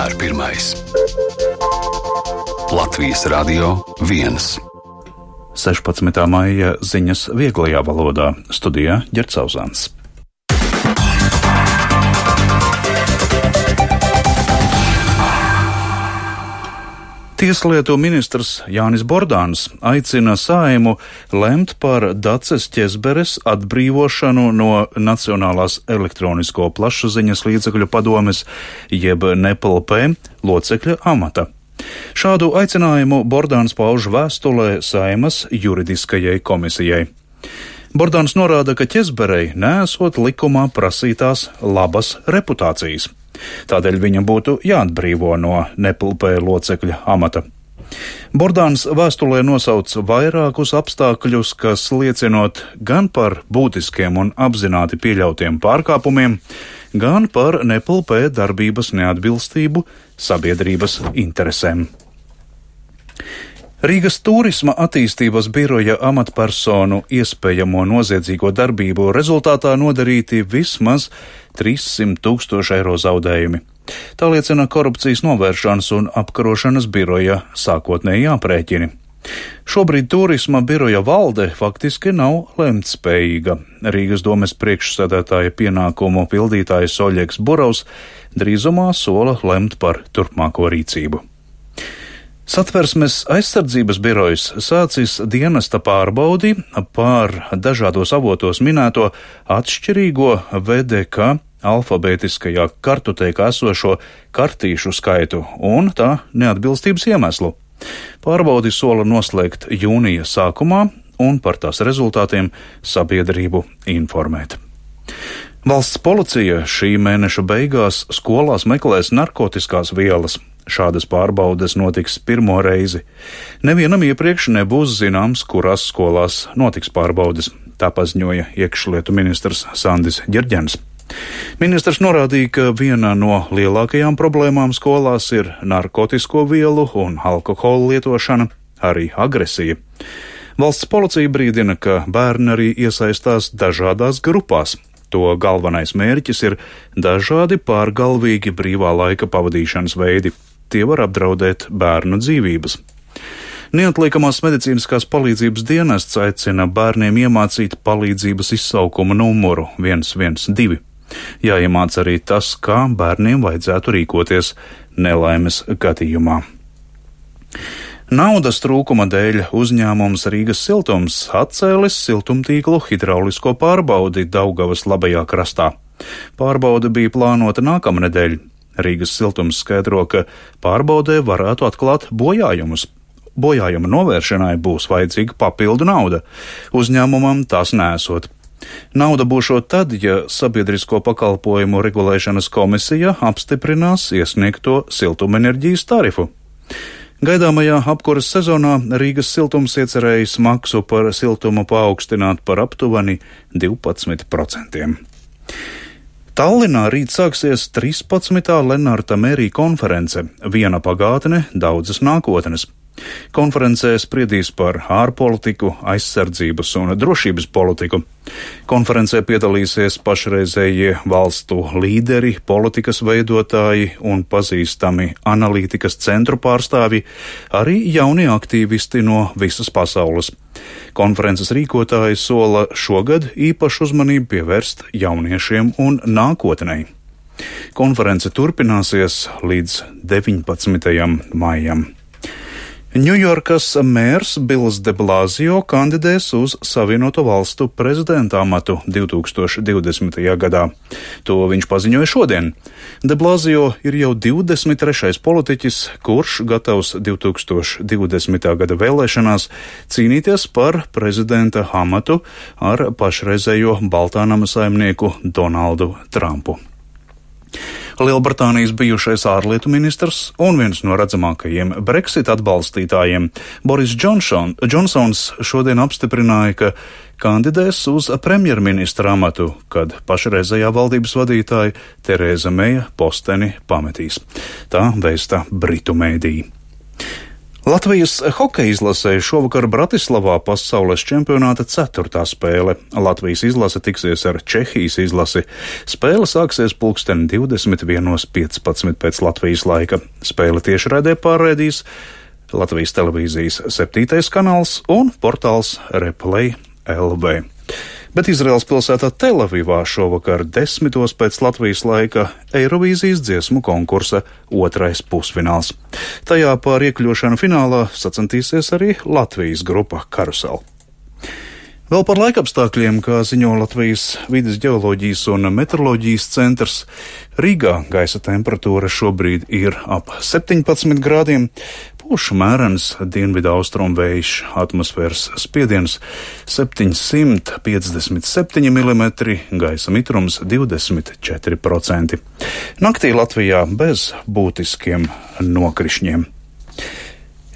vienmēr pirmais. Latvijas Radio 1. 16. maija ziņas vieglajā valodā. Studijā Ģerts Auzāns. Tieslietu ministrs Jānis Bordāns aicina Saeimu lemt par Daces Ķezberes atbrīvošanu no Nacionālās elektronisko plašsaziņas līdzekļu padomes jeb NEPLP locekļa amata. Šādu aicinājumu Bordāns pauž vēstulē Saeimas juridiskajai komisijai. Bordāns norāda, ka Ķezberei neesot likumā prasītās labas reputācijas. Tādēļ viņam būtu jāatbrīvo no NEPLP locekļa amata. Bordāns vēstulē nosauc vairākus apstākļus, kas liecinot gan par būtiskiem un apzināti pieļautiem pārkāpumiem, gan par NEPLP darbības neatbilstību sabiedrības interesēm. Rīgas turisma attīstības biroja amatpersonu iespējamo noziedzīgo darbību rezultātā nodarīti vismaz 300 000 eiro zaudējumi. Tā liecina korupcijas novēršanas un apkarošanas biroja sākotnēji aprēķini. Šobrīd turisma biroja valde faktiski nav lemtspējīga. Rīgas domes priekšsēdētāja pienākumu pildītājs Oļegs Burovs drīzumā sola lemt par turpmāko rīcību. Satversmes aizsardzības birojs sācis dienesta pārbaudi pār dažādos avotos minēto atšķirīgo VDK alfabētiskajā kartotēkā esošo kartīšu skaitu un tā neatbilstības iemeslu. Pārbaudi sola noslēgt jūnija sākumā un par tās rezultātiem sabiedrību informēt. Valsts policija šī mēneša beigās skolās meklēs narkotiskās vielas. Šādas pārbaudes notiks pirmo reizi. Nevienam iepriekš nebūs zināms, kurās skolās notiks pārbaudes, tā paziņoja iekšlietu ministrs Sandis Ģerģens. Ministrs norādīja, ka viena no lielākajām problēmām skolās ir narkotisko vielu un alkohola lietošana, arī agresija. Valsts policija brīdina, ka bērni arī iesaistās dažādās grupās. To galvenais mērķis ir dažādi pārgalvīgi brīvā laika pavadīšanas veidi. Tie var apdraudēt bērnu dzīvības. Neatliekamās medicīniskās palīdzības dienests aicina bērniem iemācīt palīdzības izsaukuma numuru 112. Jāiemāc arī tas, kā bērniem vajadzētu rīkoties nelaimes gadījumā. Naudas trūkuma dēļ uzņēmums Rīgas siltums atcēlis siltumtīklu hidraulisko pārbaudi Daugavas labajā krastā. Pārbaude bija plānota nākamnedēļ. Rīgas siltums skaidro, ka pārbaudē varētu atklāt bojājumus. Bojājuma novēršanai būs vajadzīga papildu nauda. Uzņēmumam tās nesot. Nauda būšot tad, ja Sabiedrisko pakalpojumu regulēšanas komisija apstiprinās iesniegto siltumenerģijas tarifu. Gaidāmajā apkuras sezonā Rīgas siltums iecerējis maksu par siltumu paaugstināt par aptuveni 12%. Tallinā rīt sāksies 13. Lenārta Mērija konference Viena pagātne, daudzas nākotnes. Konferencē spriedīs par ārpolitiku, aizsardzības un drošības politiku. Konferencē piedalīsies pašreizējie valstu līderi, politikas veidotāji un pazīstami analītikas centru pārstāvji, arī jaunie aktīvisti no visas pasaules. Konferences rīkotāji sola šogad īpašu uzmanību pievērst jauniešiem un nākotnei. Konference turpināsies līdz 19. maijam. Ņujorkas mērs Bills de Blasio kandidēs uz Savienoto Valstu prezidenta amatu 2020. gadā. To viņš paziņoja šodien. De Blasio ir jau 23. politiķis, kurš gatavs 2020. gada vēlēšanās cīnīties par prezidenta amatu ar pašreizējo Baltānama saimnieku Donaldu Trumpu. Lielbritānijas bijušais ārlietu ministrs un viens no redzamākajiem Brexit atbalstītājiem Boris Džonsons šodien apstiprināja, ka kandidēs uz premjerministra amatu, kad pašreizējā valdības vadītāja Terēza Meja posteni pametīs. Tā vēsta Britu mēdīji. Latvijas hokeja izlasē šovakar Bratislavā pasaules čempionāta 4. spēle. Latvijas izlase tiksies ar Čehijas izlasi. Spēle sāksies 21:15 pēc Latvijas laika. Spēle tiešraidē pārraidīs Latvijas televīzijas 7. kanāls un portāls Replay LV. Bet Izraēlas pilsētā Telavivā šovakar 10. pēc Latvijas laika Eirovīzijas dziesmu konkursa 2. pusfināls. Tajā par iekļūšanu finālā sacensties arī Latvijas grupa Karusel. Vēl par laikapstākļiem, kā ziņo Latvijas vides ģeoloģijas un meteoroloģijas centrs, Rīgā gaisa temperatūra šobrīd ir ap 17 grādiem, pūš mērens dienvidu austrumu vējš, atmosfēras spiediens 757 mm, gaisa mitrums 24%. Naktī Latvijā bez būtiskiem nokrišņiem.